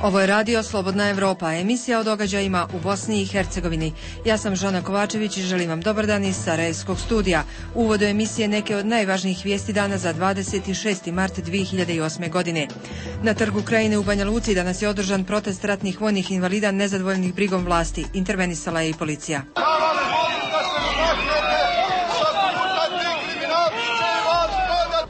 Ovo je radio Slobodna Evropa, emisija o događajima u Bosni i Hercegovini. Ja sam Žana Kovačević i želim vam dobar dan iz Sarajevskog studija. U uvodu emisije neke od najvažnijih vijesti dana za 26. mart 2008. godine. Na trgu Krajine u Banja Luci danas je održan protest ratnih vojnih invalida nezadovoljnih brigom vlasti. Intervenisala je i policija.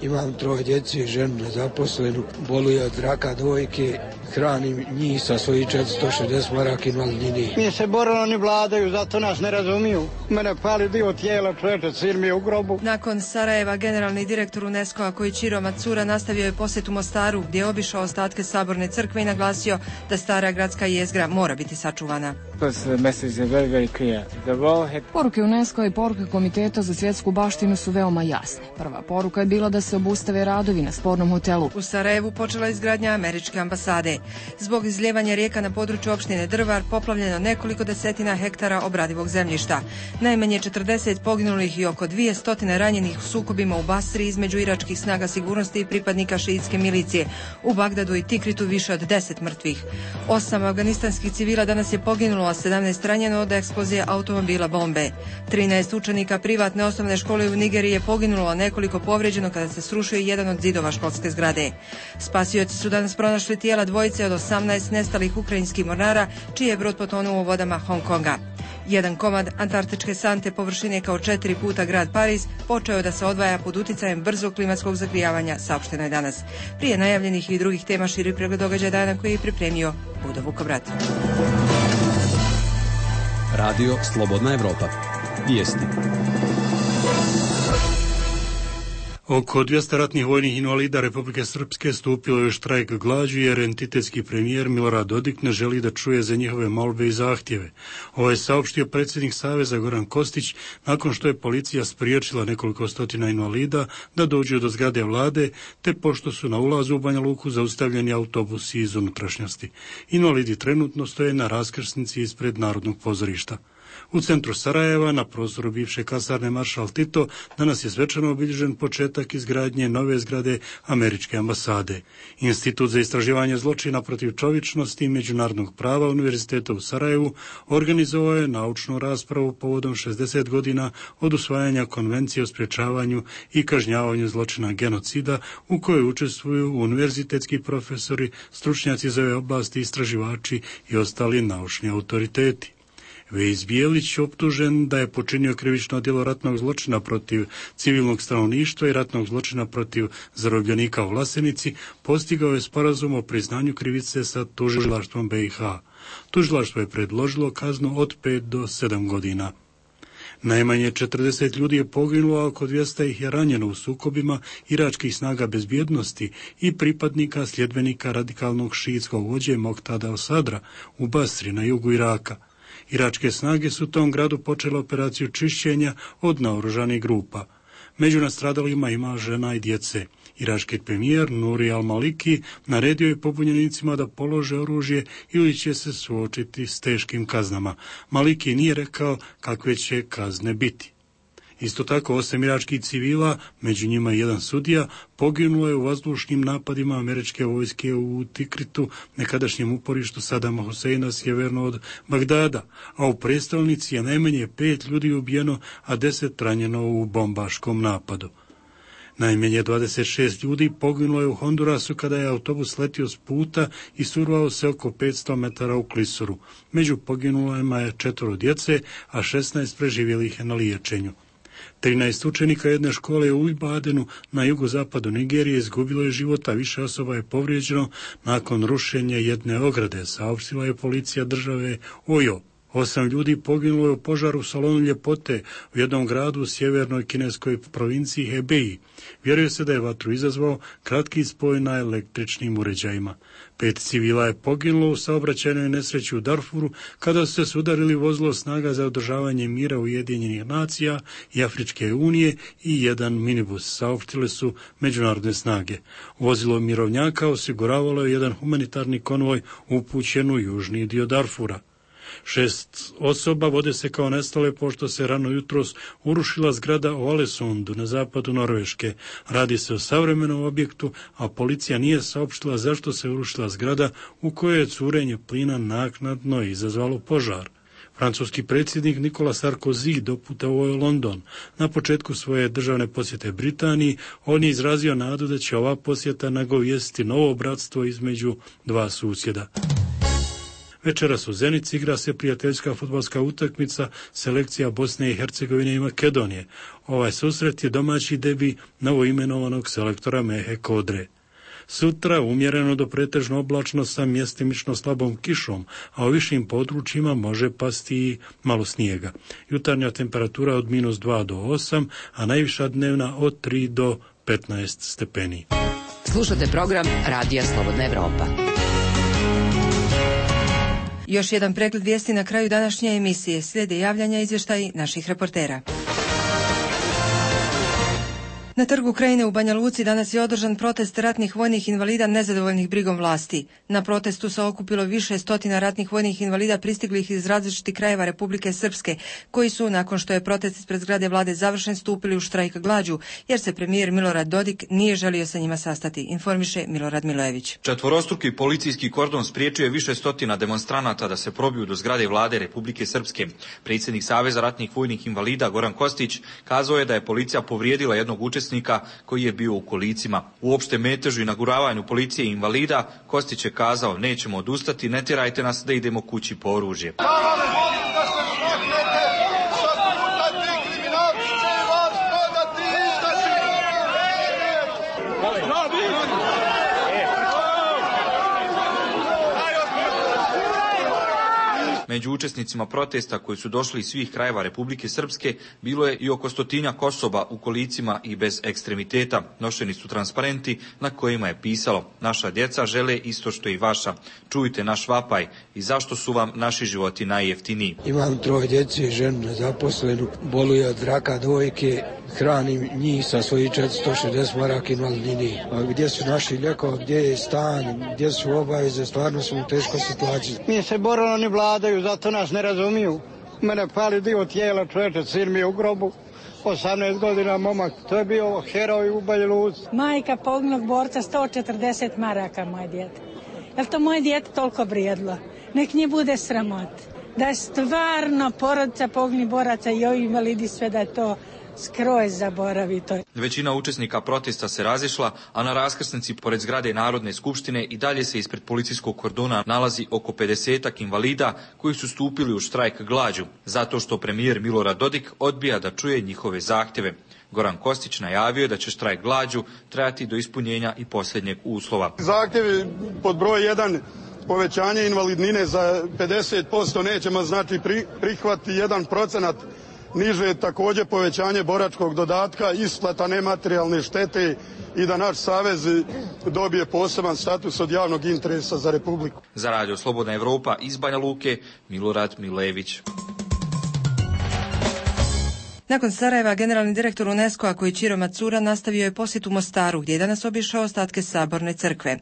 Imam 3 djece i ženu nezaposlenu, boluje od raka dojke, hranim njih sa svojih 460 maraka invalidnine. Mi se borili, oni vladaju, zato nas ne razumiju. Mene pali dio tijela, čovječe, sin mi je u grobu. Nakon Sarajeva, generalni direktor UNESCO-a Koichiro Matsura nastavio je posjet u Mostaru, gdje je obišao ostatke Saborne crkve i naglasio da stara gradska jezgra mora biti sačuvana. Poruke UNESCO i poruke Komiteta za svjetsku baštinu su veoma jasne. Prva poruka je bila da se obustave radovi na spornom hotelu. U Sarajevu počela izgradnja američke ambasade. Zbog izljevanja rijeka na području opštine Drvar poplavljeno nekoliko desetina hektara obradivog zemljišta. Najmanje 40 poginulih i oko 200 ranjenih u sukobima u Basri između iračkih snaga sigurnosti i pripadnika šiitske milicije. U Bagdadu i Tikritu više od 10 mrtvih. 8 afganistanskih civila danas je poginulo, a 17 ranjeno od eksplozije automobila bombe. 13 učenika privatne osnovne škole u Nigeriji je poginulo, a nekoliko povrijeđeno kada se srušio jedan od zidova školske zgrade. Spasioci su danas pronašli tijela dvojice od 18 nestalih ukrajinskih mornara, čiji je brod potonuo u vodama Hong Konga. Jedan komad antarktičke sante površine kao 4 puta grad Pariz počeo je da se odvaja pod uticajem brzog klimatskog zagrijavanja, saopšteno je danas. Prije najavljenih i drugih tema širi pregled događaja dana koji je pripremio Budo Vukobrat. Radio Slobodna Evropa. Vijesti. Oko 200 ratnih vojnih invalida Republike Srpske stupilo je u štrajk glađu jer entitetski premijer Milorad Dodik ne želi da čuje za njihove molbe i zahtjeve. Ovo je saopštio predsjednik Saveza Goran Kostić nakon što je policija spriječila nekoliko stotina invalida da dođu do zgrade vlade, te pošto su na ulazu u Banja Luku zaustavljeni autobusi iz unutrašnjosti. Invalidi trenutno stoje na raskrsnici ispred Narodnog pozorišta. U centru Sarajeva, na prostoru bivše kasarne Maršal Tito, danas je svečano obilježen početak izgradnje nove zgrade američke ambasade. Institut za istraživanje zločina protiv čovječnosti i međunarodnog prava Univerziteta u Sarajevu organizovao je naučnu raspravu povodom 60 godina od usvajanja Konvencije o sprječavanju i kažnjavanju zločina genocida, u kojoj učestvuju univerzitetski profesori, stručnjaci za ove oblasti, istraživači i ostali naučni autoriteti. Vejs Bijelić, optužen da je počinio krivično djelo ratnog zločina protiv civilnog stanovništva i ratnog zločina protiv zarobljenika u Vlasenici, postigao je sporazum o priznanju krivice sa tužilaštvom BiH. Tužilaštvo je predložilo kaznu od 5 do 7 godina. Najmanje 40 ljudi je poginulo, a oko 200 ih je ranjeno u sukobima iračkih snaga bezbjednosti i pripadnika sljedbenika radikalnog šiitskog vođe Moktada al-Sadra u Basri na jugu Iraka. Iračke snage su u tom gradu počele operaciju čišćenja od naoružanih grupa. Među nastradalima ima žena i djece. Irački premijer Nuri al-Maliki naredio je pobunjenicima da polože oružje ili će se suočiti s teškim kaznama. Maliki nije rekao kakve će kazne biti. Isto tako 8 iračkih civila, među njima i jedan sudija, poginulo je u vazdušnim napadima američke vojske u Tikritu, nekadašnjem uporištu Sadama Huseina sjeverno od Bagdada, a u prestolnici je najmanje 5 ljudi ubijeno, a 10 ranjeno u bombaškom napadu. Najmanje 26 ljudi poginulo je u Hondurasu kada je autobus letio s puta i survao se oko 500 metara u klisuru. Među poginulima je 4 djece, a 16 preživjelih je na liječenju. 13 učenika jedne škole u Ibadenu na jugozapadu Nigerije izgubilo je život, a više osoba je povrijeđeno nakon rušenja jedne ograde, saopštila je policija države Ojo. 8 ljudi poginulo je u požaru u salonu ljepote u jednom gradu u sjevernoj kineskoj provinciji Hebei. Vjeruje se da je vatru izazvao kratki spoj na električnim uređajima. 5 civila je poginulo u saobraćajnoj nesreći u Darfuru kada su se sudarili vozilo snaga za održavanje mira Ujedinjenih nacija i Afričke unije i jedan minibus, saopštile su međunarodne snage. Vozilo mirovnjaka osiguravalo je jedan humanitarni konvoj upućen u južni dio Darfura. 6 osoba vode se kao nestale pošto se rano jutros urušila zgrada u Alesundu na zapadu Norveške. Radi se o savremenom objektu, a policija nije saopštila zašto se urušila zgrada u kojoj je curenje plina naknadno izazvalo požar. Francuski predsjednik Nicolas Sarkozy doputovao je u London. Na početku svoje državne posjete Britaniji on je izrazio nadu da će ova posjeta nagovijestiti novo bratstvo između dva susjeda. Večeras u Zenici igra se prijateljska fudbalska utakmica selekcija Bosne i Hercegovine i Makedonije. Ovaj susret je domaći debi novoimenovanog selektora Mehe Kodre. Sutra umjereno do pretežno oblačno sa mjestimično slabom kišom, a u višim područjima može pasti i malo snijega. Jutarnja temperatura od -2 do 8, a najviša dnevna od 3 do 15 stepeni. Slušate program Radija Slobodna Evropa. Još jedan pregled vijesti na kraju današnje emisije. Slijede javljanja i izvještaji naših reportera. Na trgu Krajine u Banja Luci danas je održan protest ratnih vojnih invalida nezadovoljnih brigom vlasti. Na protestu se okupilo više stotina ratnih vojnih invalida pristiglih iz različitih krajeva Republike Srpske, koji su, nakon što je protest ispred zgrade vlade završen, stupili u štrajk glađu, jer se premijer Milorad Dodik nije želio sa njima sastati, informiše Milorad Milojević. Četvorostruki policijski kordon spriječio je više stotina demonstranata da se probiju do zgrade vlade Republike Srpske. Predsjednik Saveza ratnih vojnih invalida Goran Kostić kazao je da je policija povrijedila jednog učesnika koji je bio u kolicima. U opštem metežu i naguravanju policije i invalida Kostić je kazao: nećemo odustati, ne tjerajte nas da idemo kući po oružje. Među učesnicima protesta koji su došli iz svih krajeva Republike Srpske bilo je i oko 100 osoba u kolicima i bez ekstremiteta. Nošeni su transparenti na kojima je pisalo: naša djeca žele isto što i vaša. Čujte naš vapaj i zašto su vam naši životi najjeftiniji. Imam 3 djece, ženu nezaposlenu, boluje od raka dojke, hranim njih sa svojih 460 maraka invalidnine. A gdje su naši lijekovi, gdje je stan, gdje su obaveze, stvarno smo u teškoj situaciji. Mi se borilo, oni vladaju, zato nas ne razumiju. Mene pali dio tijela, čovječe, sin mi je u grobu, 18 godina momak, to je bio heroj u Banja Luci. Majka poginulog borca 140 maraka, moje dijete. Jel to moje dijete toliko vrijedilo? Nek nje bude sramot. Da je stvarno porodica poginulih boraca i ovi invalidi sve da je to skroz zaboravito. Većina učesnika protesta se razišla, a na raskrsnici pored zgrade Narodne skupštine i dalje se ispred policijskog kordona nalazi oko 50-ak invalida koji su stupili u štrajk glađu, zato što premijer Milorad Dodik odbija da čuje njihove zahtjeve. Goran Kostić najavio je da će štrajk glađu trajati do ispunjenja i posljednjeg uslova. Zahtjevi pod broj 1, povećanje invalidnine za 50%, nećemo znači prihvati 1%. Niže je također povećanje boračkog dodatka, isplata nematerijalne štete i da naš savez dobije poseban status od javnog interesa za Republiku. Za Radio Slobodna Evropa iz Banja Luke, Milorad Milević. Nakon Sarajeva, generalni direktor UNESCO-a Koichiro Matsura nastavio je posjet u Mostaru, gdje je danas obišao ostatke Saborne crkve.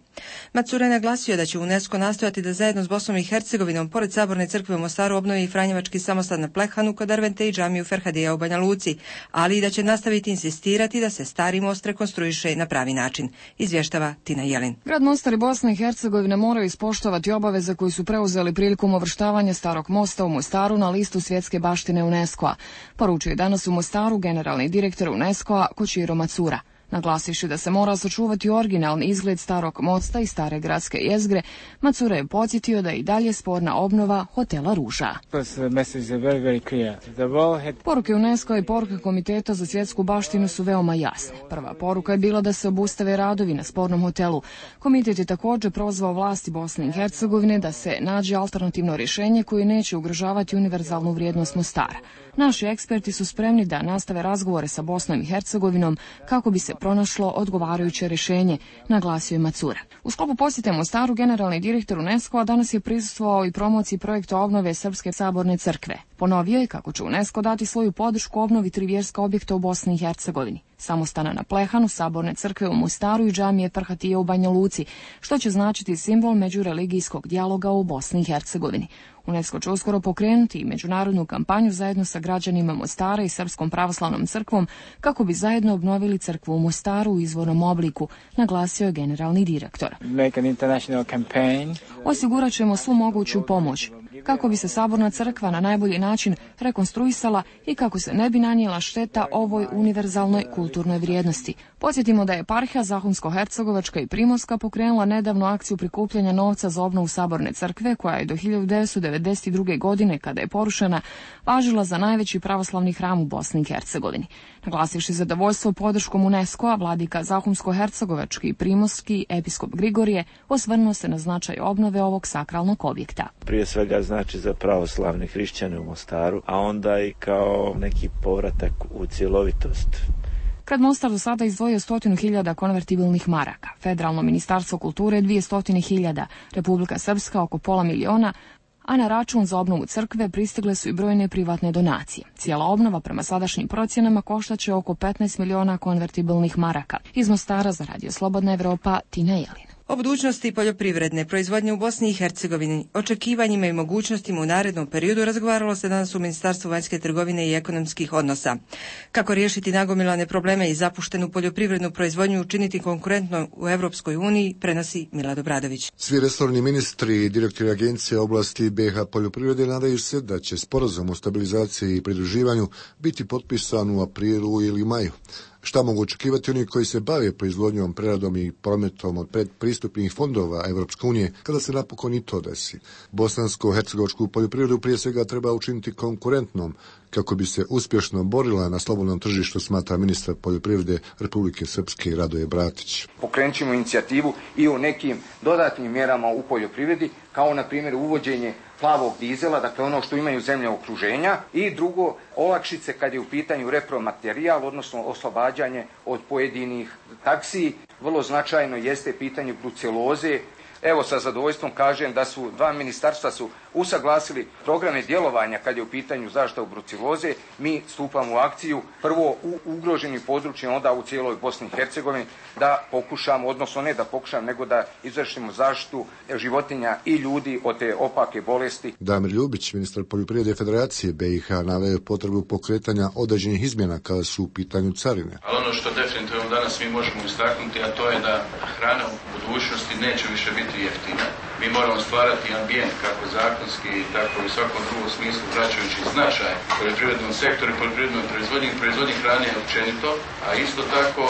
Matsura je naglasio da će UNESCO nastojati da zajedno s Bosnom i Hercegovinom pored Saborne crkve u Mostaru obnovi i Franjevački samostan na Plehanu kod Dervente i džamiju Ferhadija u Banja Luci, ali i da će nastaviti insistirati da se stari most rekonstruiše na pravi način, izvještava Tina Jelin. Grad Mostar i Bosna i Hercegovina moraju ispoštovati obaveze koji su preuzeli prilikom uvrštavanja starog mosta u Mostaru na listu svjetske baštine UNESCO-a, poručuje danas u Mostaru generalni direktor UNESCO-a Koichiro Matsura. Naglasivši da se mora sačuvati originalni izgled starog mosta i stare gradske jezgre, Matsura je podsjetio da je i dalje sporna obnova hotela Ruža. Poruke UNESCO i poruke Komiteta za svjetsku baštinu su veoma jasne. Prva poruka je bila da se obustave radovi na spornom hotelu. Komitet je također prozvao vlasti Bosne i Hercegovine da se nađe alternativno rješenje koje neće ugrožavati univerzalnu vrijednost Mostara. Naši eksperti su spremni da nastave razgovore sa Bosnom i Hercegovinom kako bi se pronašlo odgovarajuće rješenje, naglasio je Matsura. U sklopu posjete Mostaru generalni direktor UNESCO-a danas je prisustvovao i promociji projekta obnove Srpske saborne crkve. Ponovio je kako će UNESCO dati svoju podršku obnovi 3 vjerska objekta u Bosni i Hercegovini: samostana na Plehanu, Saborne crkve u Mostaru i džamije Ferhatije u Banja Luci, što će značiti simbol međureligijskog dijaloga u Bosni i Hercegovini. UNESCO će uskoro pokrenuti i međunarodnu kampanju zajedno sa građanima Mostara i Srpskom pravoslavnom crkvom kako bi zajedno obnovili crkvu u Mostaru u izvornom obliku, naglasio je generalni direktor. Osigurat ćemo svu moguću pomoć kako bi se saborna crkva na najbolji način rekonstruisala i kako se ne bi nanijela šteta ovoj univerzalnoj kulturnoj vrijednosti. Podsjetimo da je eparhija Zahumsko-Hercegovačka i Primorska pokrenula nedavno akciju prikupljanja novca za obnovu saborne crkve, koja je do 1992. godine, kada je porušena, važila za najveći pravoslavni hram u Bosni i Hercegovini. Naglasivši zadovoljstvo podrškom UNESCO-a, vladika Zahumsko-Hercegovački i Primorski episkop Grigorije osvrnuo se na značaj obnove ovog sakralnog objekta. Prije svega znači za pravoslavne hrišćane u Mostaru, a onda i kao neki povratak u cjelovitost. Grad Mostar do sada izdvojio 100.000 konvertibilnih maraka, Federalno ministarstvo kulture 200.000, Republika Srpska oko pola miliona, a na račun za obnovu crkve pristigle su i brojne privatne donacije. Cijela obnova prema sadašnjim procjenama koštaće oko 15 miliona konvertibilnih maraka. Iz Mostara za Radio Slobodna Evropa, Tina Jelin. O budućnosti poljoprivredne proizvodnje u Bosni i Hercegovini, očekivanjima i mogućnostima u narednom periodu razgovaralo se danas u Ministarstvu vanjske trgovine i ekonomskih odnosa. Kako riješiti nagomilane probleme i zapuštenu poljoprivrednu proizvodnju učiniti konkurentno u Europskoj uniji, prenosi Milad Obradović. Svi resorni ministri i direktori agencije oblasti BiH poljoprivrede nadaju se da će sporazum o stabilizaciji i pridruživanju biti potpisan u aprilu ili maju. Šta mogu očekivati oni koji se bave proizvodnjom, preradom i prometom od predpristupnih fondova Evropske unije kada se napokon i to desi? Bosansko-hercegovačku poljoprivredu prije svega treba učiniti konkurentnom kako bi se uspješno borila na slobodnom tržištu, smatra ministar poljoprivrede Republike Srpske Radoje Bratić. Pokrenut ćemo inicijativu i o nekim dodatnim mjerama u poljoprivredi, kao na primjer uvođenje plavog dizela, dakle ono što imaju zemlje okruženja, i drugo, olakšice kad je u pitanju repromaterijal, odnosno oslobađanje od pojedinih taksi. Vrlo značajno jeste pitanje bruceloze. Evo, sa zadovoljstvom kažem da su dva ministarstva su usaglasili programe djelovanja kad je u pitanju zaštita od bruceloze. Mi stupamo u akciju prvo u ugroženim područjima, onda u cijeloj Bosni i Hercegovini, da pokušamo, odnosno ne da pokušamo, nego da izvršimo zaštitu životinja i ljudi od te opake bolesti. Damir Ljubić, ministar poljoprivrede Federacije BiH, naveo potrebu pokretanja određenih izmjena kada su u pitanju carine. Ali ono što definitivno danas mi možemo istaknuti, a to je da hrana u budućnosti neće više biti jeftina. Mi moramo stvarati ambijent kako zakonski, tako i u svakom drugom smislu, vraćajući značaj poljoprivrednom sektoru i poljoprivrednoj proizvodnji hrane općenito, a isto tako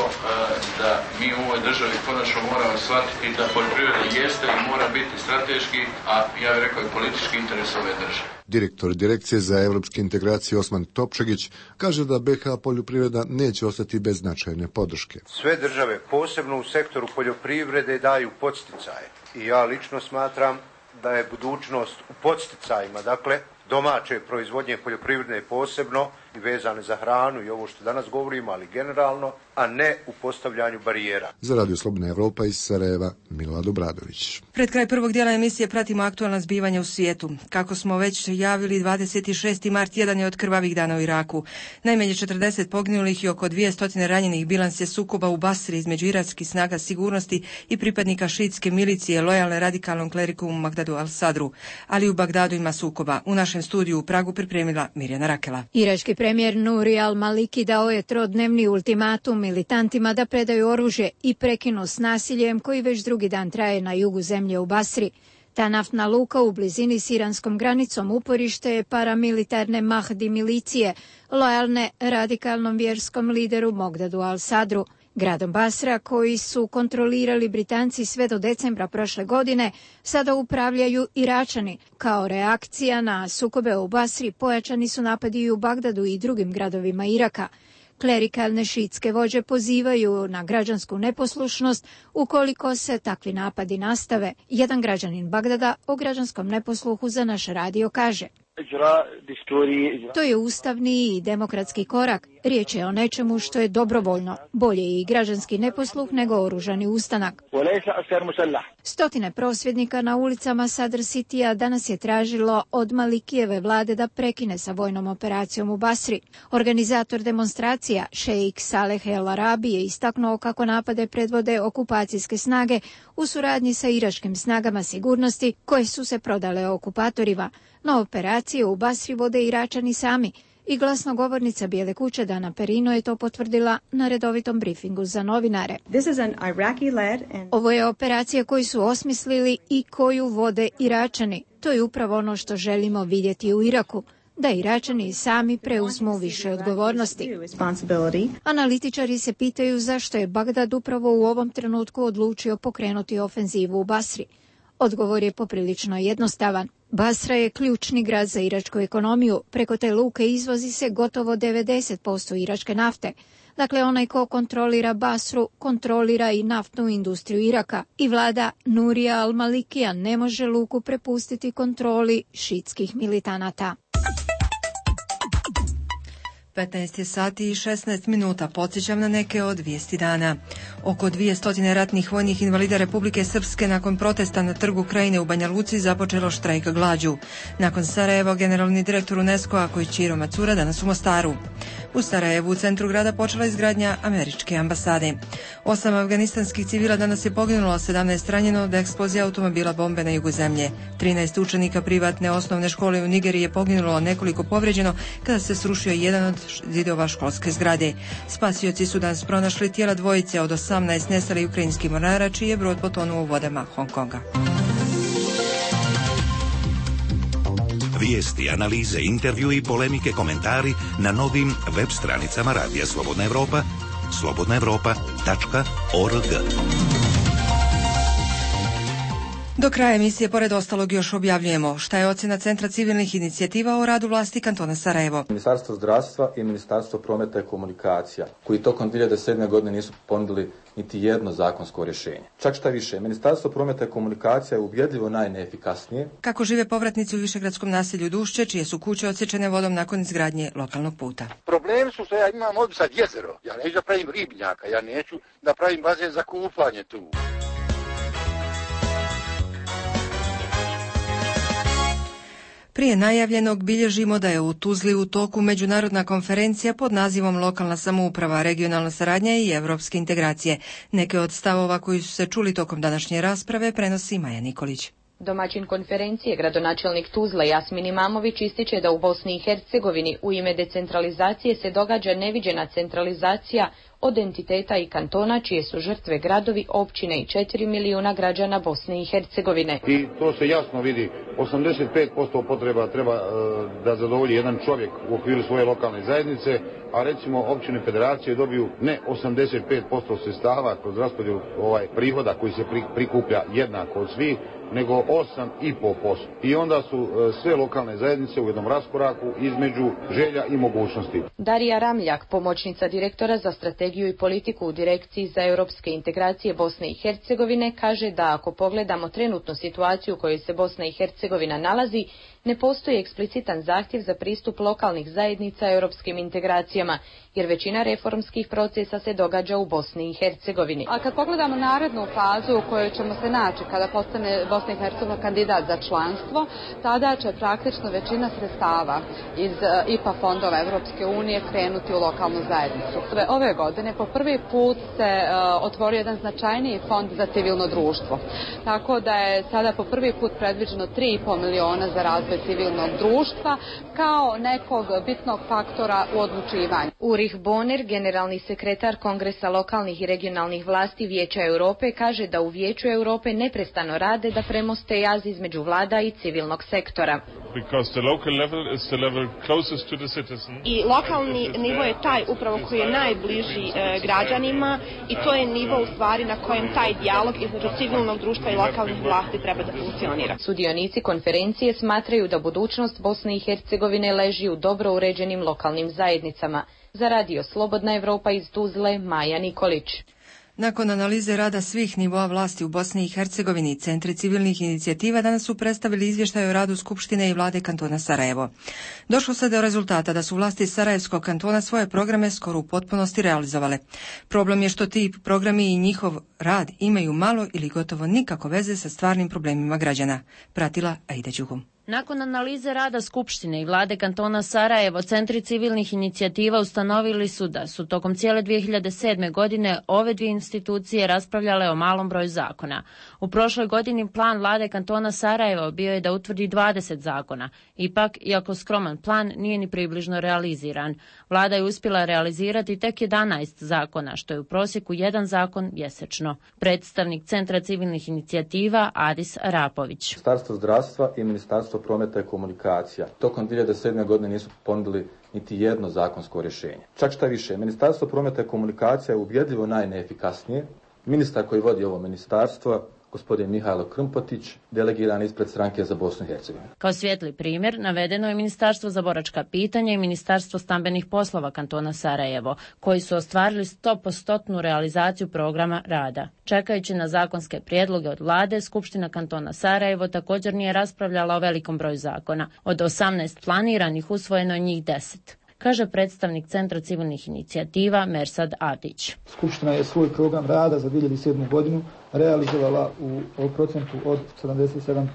da mi u ovoj državi konačno moramo shvatiti da poljoprivreda jeste i mora biti strateški, a ja bih rekao i politički interes ove države. Direktor Direkcije za evropske integracije Osman Topčagić kaže da BiH poljoprivreda neće ostati bez značajne podrške. Sve države, posebno u sektoru poljoprivrede, daju podsticaje. I ja lično smatram da je budućnost u podsticajima, dakle domaće proizvodnje poljoprivredne posebno i vezane za hranu i ovo što danas govorimo, ali generalno, a ne u postavljanju barijera. Za Radio Slobodna Evropa iz Sarajeva, Milad Obradović. Pred kraj prvog dijela emisije pratimo aktualna zbivanja u svijetu. Kako smo već javili, 26. mart jedan je od krvavih dana u Iraku. Najmanje 40 poginulih i oko 200 ranjenih bilans je sukoba u Basri između irakskih snaga sigurnosti i pripadnika šiitske milicije lojalne radikalnom kleriku u Magdadu al-Sadru. Ali u Bagdadu ima sukoba. U našem studiju u Pragu pripremila Mirjana Rakela. Irački premijer Nuri al-Maliki dao je trodnevni ultimatum militantima da predaju oružje i prekinu s nasiljem koji već drugi dan traje na jugu zemlje u Basri. Ta naftna luka u blizini s iranskom granicom uporište je paramilitarne Mahdi milicije, lojalne radikalnom vjerskom lideru Mogdadu al-Sadru. Gradom Basra, koji su kontrolirali Britanci sve do decembra prošle godine, sada upravljaju Iračani. Kao reakcija na sukobe u Basri pojačani su napadi i u Bagdadu i drugim gradovima Iraka. Klerikalne šiitske vođe pozivaju na građansku neposlušnost ukoliko se takvi napadi nastave. Jedan građanin Bagdada o građanskom neposluhu za naš radio kaže: to je ustavni i demokratski korak. Riječ je o nečemu što je dobrovoljno. Bolje i građanski neposluh nego oružani ustanak. Stotine prosvjednika na ulicama Sadr Citya danas je tražilo od Malikijeve vlade da prekine sa vojnom operacijom u Basri. Organizator demonstracija, šejik Saleh El Arabi, je istaknuo kako napade predvode okupacijske snage u suradnji sa iračkim snagama sigurnosti koje su se prodale okupatorima. No operacije u Basri vode Iračani sami i glasnogovornica Bijele kuće Dana Perino je to potvrdila na redovitom brifingu za novinare. Ovo je operacija koju su osmislili i koju vode Iračani. To je upravo ono što želimo vidjeti u Iraku, da Iračani sami preuzmu više odgovornosti. Analitičari se pitaju zašto je Bagdad upravo u ovom trenutku odlučio pokrenuti ofenzivu u Basri. Odgovor je poprilično jednostavan. Basra je ključni grad za iračku ekonomiju. Preko te luke izvozi se gotovo 90% iračke nafte. Dakle, onaj ko kontrolira Basru, kontrolira i naftnu industriju Iraka. I vlada Nurija al-Malikija ne može luku prepustiti kontroli šiitskih militanata. 15 sati i 16 minuta. Podsjećam na neke od vijesti dana. Oko 200 ratnih vojnih invalida Republike Srpske nakon protesta na trgu Krajine u Banja Luci započelo štrajk glađu. Nakon Sarajeva, generalni direktor UNESCO-a Koichiro Matsura danas u Mostaru. U Sarajevu, u centru grada, počela izgradnja američke ambasade. 8 afganistanskih civila danas je poginulo, 17 ranjeno od eksplozije automobila bombe na jugu zemlje. 13 učenika privatne osnovne škole u Nigeriji je poginulo, nekoliko povređeno kada se srušio jedan od zidova školske zgrade. Spasioci su danas pronašli tijela dvojice od 18 nestalih ukrajinskih mornara, čiji je brod potonuo u vodama Hong Konga. Vijesti, analize, intervju i polemike, komentari na novim web stranicama Radija Slobodna Evropa, slobodnaevropa.org. Do kraja emisije, pored ostalog, još objavljujemo šta je ocjena Centra civilnih inicijativa o radu vlasti kantona Sarajevo. Ministarstvo zdravstva i Ministarstvo prometa i komunikacija, koji tokom 2007. godine nisu ponudili niti jedno zakonsko rješenje. Čak šta više, Ministarstvo prometa i komunikacija je ubjedljivo najneefikasnije. Kako žive povratnici u višegradskom naselju Dušće, čije su kuće odsječene vodom nakon izgradnje lokalnog puta. Problem su što ja imam ovdje sad jezero. Ja neću da pravim ribnjaka, ja neću da pravim bazen za kupanje tu. Prije najavljenog bilježimo da je u Tuzli u toku međunarodna konferencija pod nazivom Lokalna samouprava, regionalna saradnja i evropske integracije. Neke od stavova koji su se čuli tokom današnje rasprave prenosi Maja Nikolić. Domaćin konferencije, gradonačelnik Tuzle Jasmin Imamović, ističe da u Bosni i Hercegovini u ime decentralizacije se događa neviđena centralizacija od entiteta i kantona, čije su žrtve gradovi, općine i 4 milijuna građana Bosne i Hercegovine. I to se jasno vidi, 85% potreba treba da zadovolji jedan čovjek u okviru svoje lokalne zajednice, a recimo općine federacije dobiju ne 85% sredstava kroz raspodjelu prihoda koji se prikuplja jednako od svih, nego 8,5%. I onda su sve lokalne zajednice u jednom raskoraku između želja i mogućnosti. Darija Ramljak, pomoćnica direktora za strategiju i politiku u Direkciji za europske integracije Bosne i Hercegovine, kaže da ako pogledamo trenutnu situaciju u kojoj se Bosna i Hercegovina nalazi, ne postoji eksplicitan zahtjev za pristup lokalnih zajednica europskim integracijama, jer većina reformskih procesa se događa u Bosni i Hercegovini. A kad pogledamo narednu fazu u kojoj ćemo se naći kada postane Bosna i Hercegovina kandidat za članstvo, tada će praktično većina sredstava iz IPA fondova Evropske unije krenuti u lokalnu zajednicu. Ove godine po prvi put se otvorio jedan značajniji fond za civilno društvo. Tako da je sada po prvi put predviđeno 3,5 miliona za razvoj civilnog društva kao nekog bitnog faktora u odlučivanju. Ulrich Bonner, generalni sekretar Kongresa lokalnih i regionalnih vlasti Vijeća Europe, kaže da u Vijeću Europe neprestano rade da premoste jaz između vlada i civilnog sektora. I lokalni nivo je taj upravo koji je najbliži građanima i to je nivo u stvari na kojem taj dijalog između civilnog društva i lokalnih vlasti treba da funkcionira. Sudionici konferencije smatraju da budućnost Bosne i Hercegovine leži u dobro uređenim lokalnim zajednicama. Za Radio Slobodna Evropa iz Tuzle, Maja Nikolić. Nakon analize rada svih nivoa vlasti u Bosni i Hercegovini, centri civilnih inicijativa danas su predstavili izvještaj o radu Skupštine i vlade kantona Sarajevo. Došlo se do rezultata da su vlasti Sarajevskog kantona svoje programe skoro u potpunosti realizovale. Problem je što ti programi i njihov rad imaju malo ili gotovo nikako veze sa stvarnim problemima građana. Pratila Aida Đuhum. Nakon analize rada Skupštine i vlade kantona Sarajevo, centri civilnih inicijativa ustanovili su da su tokom cijele 2007. godine ove dvije institucije raspravljale o malom broju zakona. U prošloj godini plan vlade kantona Sarajevo bio je da utvrdi 20 zakona. Ipak, iako skroman plan, nije ni približno realiziran. Vlada je uspjela realizirati tek 11 zakona, što je u prosjeku jedan zakon mjesečno. Predstavnik Centra civilnih inicijativa Adis Arapović. Ministarstvo zdravstva i Ministarstvo prometa i komunikacija tokom 2007. godine nisu ponudili niti jedno zakonsko rješenje. Čak šta više, Ministarstvo prometa i komunikacija je ubjedljivo najneefikasnije. Ministar koji vodi ovo ministarstvo, gospodin Mihajlo Krmpotić, delegiran ispred stranke za Bosnu i Hercegovinu. Kao svijetli primjer navedeno je Ministarstvo za boračka pitanja i Ministarstvo stambenih poslova kantona Sarajevo, koji su ostvarili 100% realizaciju programa rada. Čekajući na zakonske prijedloge od vlade, Skupština kantona Sarajevo također nije raspravljala o velikom broju zakona. Od 18 planiranih usvojeno je njih 10. Kaže predstavnik Centra civilnih inicijativa Mersad Atić. Skupština je svoj program rada za 2007. godinu realizovala u procentu od 77%.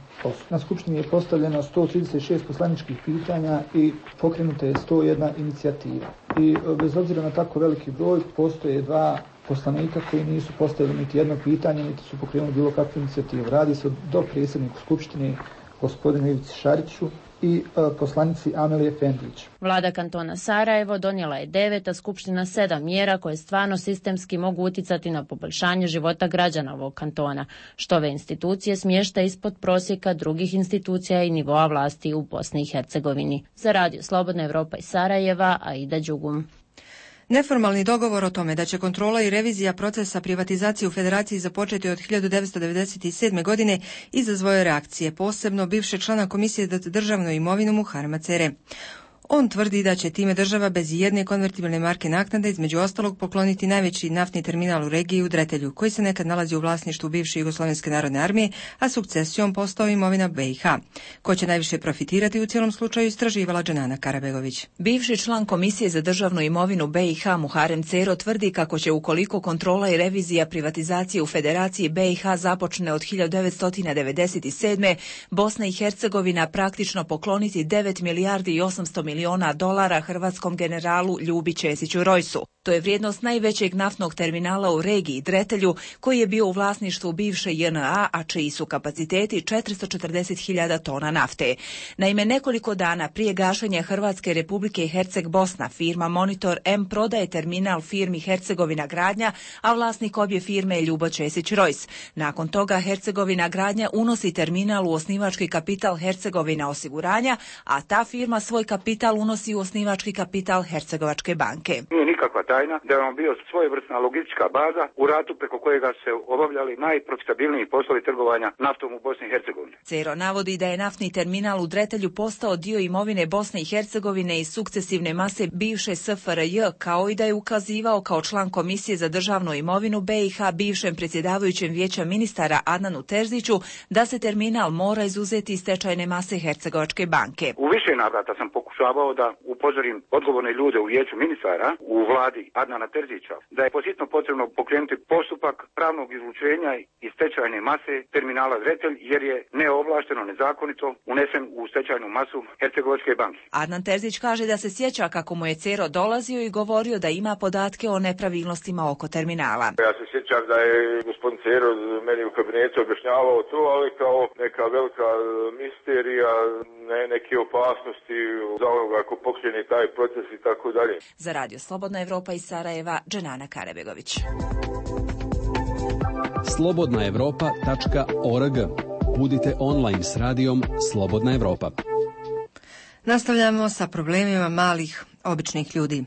Na Skupštini je postavljeno 136 poslaničkih pitanja i pokrenuta je 101 inicijativa. I bez obzira na tako veliki broj, postoje dva poslanika koji nisu postavili niti jedno pitanje, niti su pokrenuli bilo kakvu inicijativu. Radi se o dopredsjedniku Skupštine, gospodinu Ivici Šariću, i poslanici Amelije Fendić. Vlada kantona Sarajevo donijela je 9, a Skupština 7 mjera koje stvarno sistemski mogu utjecati na poboljšanje života građana ovog kantona, što ove institucije smješta ispod prosjeka drugih institucija i nivoa vlasti u Bosni i Hercegovini. Za Radio Slobodna Evropa iz Sarajeva, Aida Đugum. Neformalni dogovor o tome da će kontrola i revizija procesa privatizacije u Federaciji započeti od 1997. godine izazvao je reakcije, posebno bivšeg člana Komisije za državnu imovinu Muharema Cere. On tvrdi da će time država bez jedne konvertibilne marke naknade između ostalog pokloniti najveći naftni terminal u regiji u Dretelju, koji se nekad nalazi u vlasništvu bivše Jugoslovenske narodne armije, a sukcesijom postao imovina BiH. Ko će najviše profitirati u cijelom slučaju istraživala Dženana Karabegović. Bivši član Komisije za državnu imovinu BiH Muharem Cero tvrdi kako će ukoliko kontrola i revizija privatizacije u Federaciji BiH započne od 1997. Bosna i Hercegovina praktično pokloniti 9 milijardi i 800 milijuna dolara hrvatskom generalu Ljubi Ćesiću Rojsu. To je vrijednost najvećeg naftnog terminala u regiji Dretelju, koji je bio u vlasništvu bivše JNA, a čiji su kapaciteti 440.000 tona nafte. Naime, nekoliko dana prije gašenja Hrvatske Republike Herceg Bosna, firma Monitor M prodaje terminal firmi Hercegovina Gradnja, a vlasnik obje firme je Ljubo Ćesić Rojs. Nakon toga Hercegovina Gradnja unosi terminal u osnivački kapital Hercegovina Osiguranja, a ta firma svoj kapital unosi u osnivački kapital Hercegovačke banke. Nije nikakva tajna da je on bio svojevrsna logistička baza u ratu preko kojega se obavljali najprofitabilniji poslovi trgovanja naftom u Bosni i Hercegovini. Cero navodi da je naftni terminal u Dretelju postao dio imovine Bosne i Hercegovine i sukcesivne mase bivše SFRJ, kao i da je ukazivao kao član Komisije za državnu imovinu BiH bivšem predsjedavajućem vijeća ministara Adnanu Terziću da se terminal mora izuzeti iz stečajne mase Hercegovačke banke. U više navrata sam pokušavao da upozorim odgovorne ljude u vijeću ministara u vladi Adnana Terzića da je posjetno potrebno pokrenuti postupak pravnog izlučenja iz stečajne mase terminala Dretelj jer je neovlašteno, nezakonito unesen u stečajnu masu Hercegovačke banke. Adnan Terzić kaže da se sjeća kako mu je Cero dolazio i govorio da ima podatke o nepravilnostima oko terminala. Ja se sjećam da je gospodin Cero meni u kabinetu objašnjavao to, ali kao neka velika misterija, neke opasnosti za onoga ako pokrene taj proces i tako dalje. Za Radio Slobodna Evropa iz Sarajeva, Dženana Karabegović. slobodnaevropa.org. Budite online s radijom Slobodna Evropa. Nastavljamo sa problemima malih, običnih ljudi.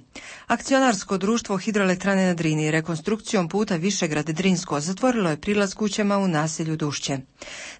Akcionarsko društvo Hidroelektrane na Drini rekonstrukcijom puta Višegrad Drinsko zatvorilo je prilaz kućama u naselju Dušće.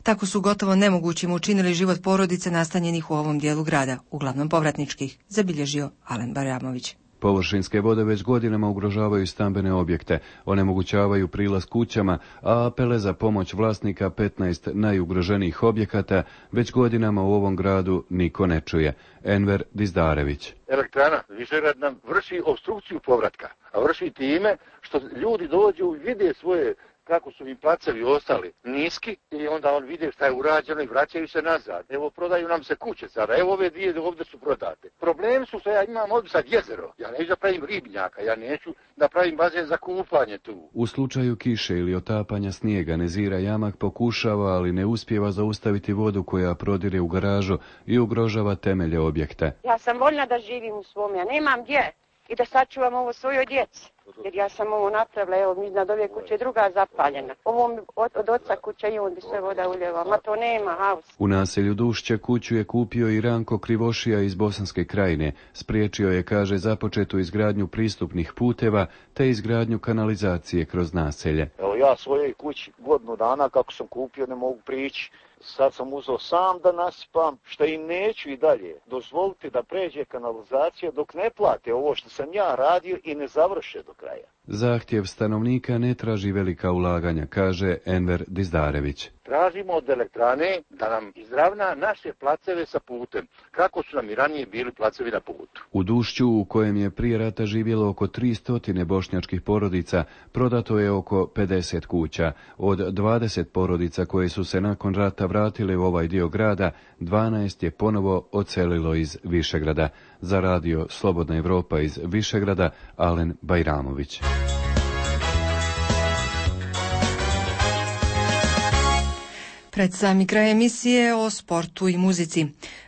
Tako su gotovo nemogućim učinili život porodice nastanjenih u ovom dijelu grada, uglavnom povratničkih, zabilježio Alen Baramović. Površinske vode već godinama ugrožavaju stambene objekte, onemogućavaju prilaz kućama, a apele za pomoć vlasnika 15 najugroženijih objekata već godinama u ovom gradu niko ne čuje. Enver Dizdarević. Elektrana Višegrad nam vrši opstrukciju povratka, a vrši time što ljudi dođu i vide svoje kako su im placevi ostali niski i onda on vide šta je urađeno i vraćaju se nazad. Evo, prodaju nam se kuće sada, evo ove dvije ovdje su prodate. Problemi su što ja imam ovdje sad jezero, ja neću da pravim ribnjaka, ja neću da pravim bazen za kupanje tu. U slučaju kiše ili otapanja snijega Nezira Jamak pokušava, ali ne uspijeva zaustaviti vodu koja prodire u garažu i ugrožava temelje objekta. Ja sam voljna da živim u svom, ja nemam gdje i da sačuvam ovo svojoj djeci. Jer ja sam ovo napravila, evo, iznad ove kuće druga zapaljena. Ovo od oca kuća i on bi sve voda uljeva, ma to nema haus. U naselju Dušće kuću je kupio i Ranko Krivošija iz Bosanske Krajine. Spriječio je, kaže, započetu izgradnju pristupnih puteva te izgradnju kanalizacije kroz naselje. Evo ja svojoj kući godinu dana kako sam kupio ne mogu prići. Sad sam uzeo sam da nasipam, što i neću i dalje dozvoliti da pređe kanalizacija dok ne plate ovo što sam ja radio i ne završe do kraja. Zahtjev stanovnika ne traži velika ulaganja, kaže Enver Dizdarević. Tražimo od elektrane da nam izravna naše placeve sa putem, kako su nam i ranije bili placevi na putu. U Dušću, u kojem je prije rata živjelo oko 300 bošnjačkih porodica, prodato je oko 50 kuća. Od 20 porodica koje su se nakon rata vratile u ovaj dio grada, 12 je ponovo odselilo iz Višegrada. Za radio Slobodna Evropa iz Višegrada, Alen Bajramović. Pred sami kraj emisije o sportu i muzici.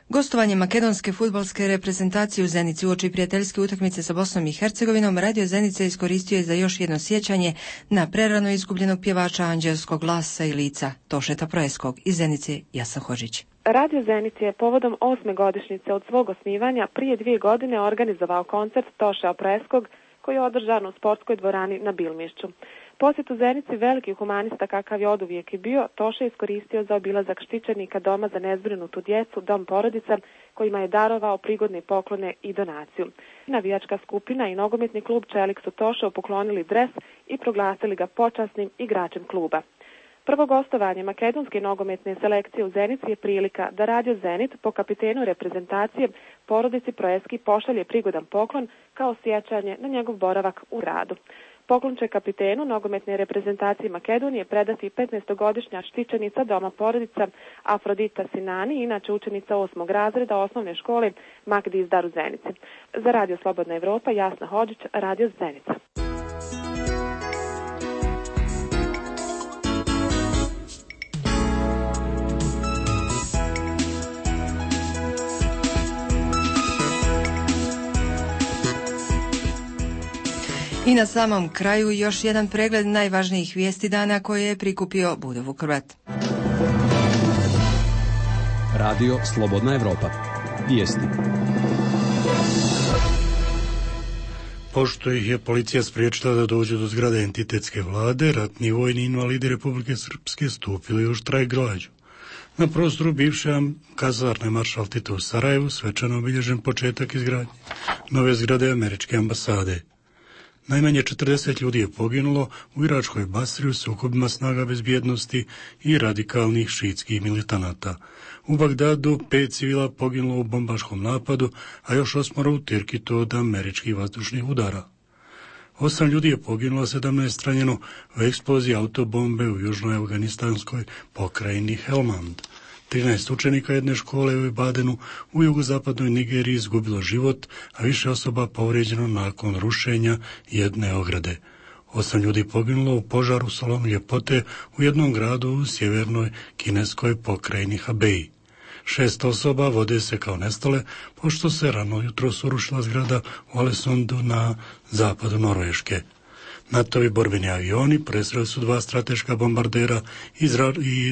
Gostovanje makedonske fudbalske reprezentacije u Zenici uoči prijateljske utakmice sa Bosnom i Hercegovinom, Radio Zenica iskoristio je za još jedno sjećanje na prerano izgubljenog pjevača anđelskog glasa i lica Tošeta Proeskog. Iz Zenice, Jasna Hožić. Radio Zenic je povodom 8. godišnjice od svog osnivanja prije 2 godine organizovao koncert Tošea Proeskog koji je održan u sportskoj dvorani na Bilmišću. Posjet u Zenici veliki humanista kakav je oduvijek i bio, Toše iskoristio za obilazak štićenika doma za nezbrinutu djecu, dom porodica, kojima je darovao prigodne poklone i donaciju. Navijačka skupina i nogometni klub Čelik su Tošeu poklonili dres i proglasili ga počasnim igračem kluba. Prvo gostovanje makedonske nogometne selekcije u Zenici je prilika da Radio Zenit po kapitenu reprezentacije porodici Proeski pošalje prigodan poklon kao sjećanje na njegov boravak u gradu. Poklon će kapitenu nogometne reprezentacije Makedonije predati 15-godišnja štićenica doma porodica Afrodita Sinani, inače učenica 8. razreda osnovne škole Mak Dizdar u Zenici. Za Radio Slobodna Evropa, Jasna Hođić, Radio Zenica. I na samom kraju još jedan pregled najvažnijih vijesti dana koje je prikupio Budo Vukrvat. Radio Slobodna Evropa. Vijesti. Pošto ih je policija spriječila da dođu do zgrade entitetske vlade, ratni vojni invalidi Republike Srpske stupili u štrajk glađu. Na prostoru bivše kazarne Maršal Tito u Sarajevu svečano obilježen početak izgradnje nove zgrade američke ambasade. Najmanje 40 ljudi je poginulo u iračkoj Basri u sukobima snaga bezbjednosti i radikalnih šiitskih militanata. U Bagdadu 5 civila poginulo u bombaškom napadu, a još 8 u Tirkitu od američkih vazdušnih udara. 8 ljudi je poginulo, 17 ranjeno u eksploziji autobombe u južnoj afganistanskoj pokrajini Helmand. 13 učenika jedne škole u Ibadenu u jugozapadnoj Nigeriji izgubilo život, a više osoba povrijeđeno nakon rušenja jedne ograde. 8 ljudi poginulo u požaru salonu ljepote u jednom gradu u sjevernoj kineskoj pokrajini Hebei. 6 osoba vode se kao nestale, pošto se rano jutros urušila zgrada u Alesondu na zapadu Norveške. NATO-vi borbeni avioni presreli su 2 strateška bombardera i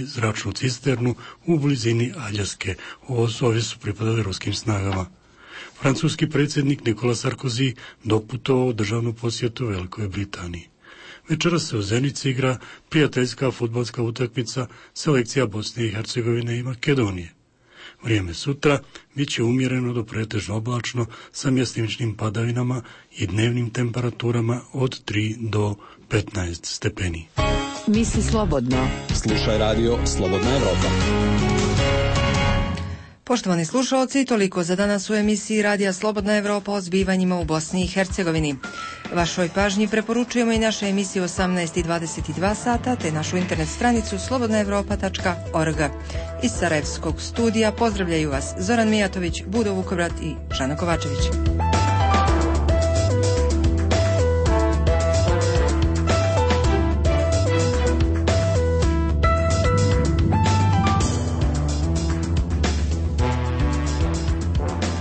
zračnu cisternu u blizini Aljaske. Ovi su pripadali ruskim snagama. Francuski predsjednik Nikola Sarkozy doputovao u državnu posjetu Velikoj Britaniji. Večeras se u Zenici igra prijateljska fudbalska utakmica selekcija Bosne i Hercegovine i Makedonije. Vrijeme sutra bit će umjereno do pretežno oblačno sa mjestimičnim padavinama i dnevnim temperaturama od 3 do 15 stepeni. Misli slobodno. Slušaj Radio Slobodna Evropa. Poštovani slušalci, toliko za danas u emisiji Radija Slobodna Evropa o zbivanjima u Bosni i Hercegovini. Vašoj pažnji preporučujemo i naše emisije 18:22 sata, te našu internet stranicu slobodnaevropa.org. Iz Sarajevskog studija pozdravljaju vas Zoran Mijatović, Budo Vukovrat i Žana Kovačević.